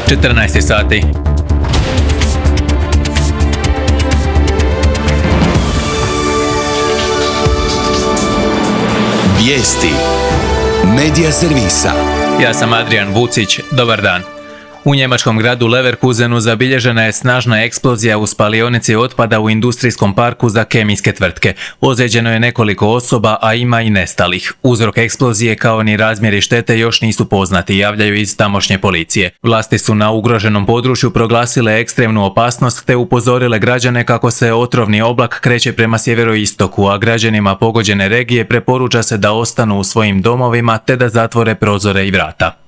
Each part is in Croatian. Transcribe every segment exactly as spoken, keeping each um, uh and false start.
četrnaest sati. Vijesti Medija servisa. Ja sam Adrian Vucić, dobar dan. U njemačkom gradu Leverkusenu zabilježena je snažna eksplozija u spalionici otpada u industrijskom parku za kemijske tvrtke. Ozlijeđeno je nekoliko osoba, a ima i nestalih. Uzrok eksplozije kao ni razmjeri štete još nisu poznati, javljaju iz tamošnje policije. Vlasti su na ugroženom području proglasile ekstremnu opasnost te upozorile građane kako se otrovni oblak kreće prema sjeveroistoku, a građanima pogođene regije preporuča se da ostanu u svojim domovima te da zatvore prozore i vrata.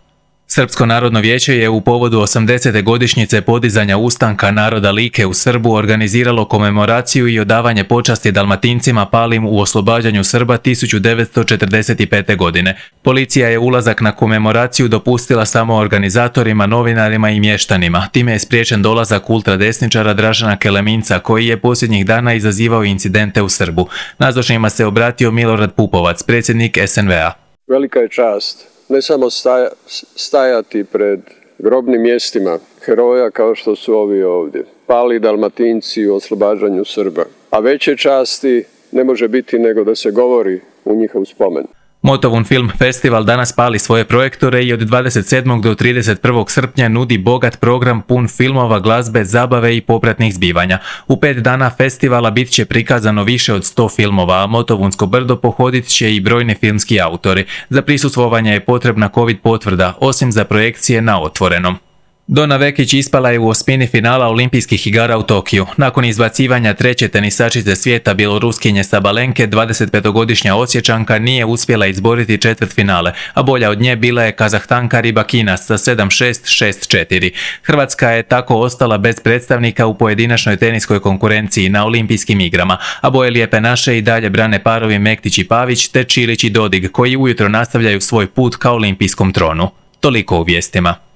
Srpsko narodno vijeće je u povodu osamdesete godišnjice podizanja ustanka naroda Like u Srbu organiziralo komemoraciju i odavanje počasti Dalmatincima palim u oslobađanju Srba tisuću devetsto četrdeset pete. godine. Policija je ulazak na komemoraciju dopustila samo organizatorima, novinarima i mještanima. Time je spriječen dolazak ultradesničara Dražena Keleminca, koji je posljednjih dana izazivao incidente u Srbu. Nazočnima se obratio Milorad Pupovac, predsjednik es en ve a. Velika je čast ne samo staja, stajati pred grobnim mjestima heroja kao što su ovi ovdje, pali Dalmatinci u oslobađanju Srba, a veće časti ne može biti nego da se govori u njihov spomen. Motovun Film Festival danas pali svoje projektore i od dvadeset sedmog do trideset prvog srpnja nudi bogat program pun filmova, glazbe, zabave i popratnih zbivanja. U pet dana festivala bit će prikazano više od sto filmova, a Motovunsko brdo pohodit će i brojni filmski autori. Za prisustvovanje je potrebna covid potvrda, osim za projekcije na otvorenom. Dona Vekić ispala je u osmini finala olimpijskih igara u Tokiju. Nakon izbacivanja treće tenisačice svijeta Bjeloruskinje Sabalenke, dvadesetpetogodišnja Osječanka nije uspjela izboriti četvrtfinale, a bolja od nje bila je Kazahstanka Ribakinas sa sedam šest, šest četiri. Hrvatska je tako ostala bez predstavnika u pojedinačnoj teniskoj konkurenciji na olimpijskim igrama, a boje lijepe naše i dalje brane parovi Mektić i Pavić te Čilić i Dodig, koji ujutro nastavljaju svoj put ka olimpijskom tronu. Toliko u vijestima.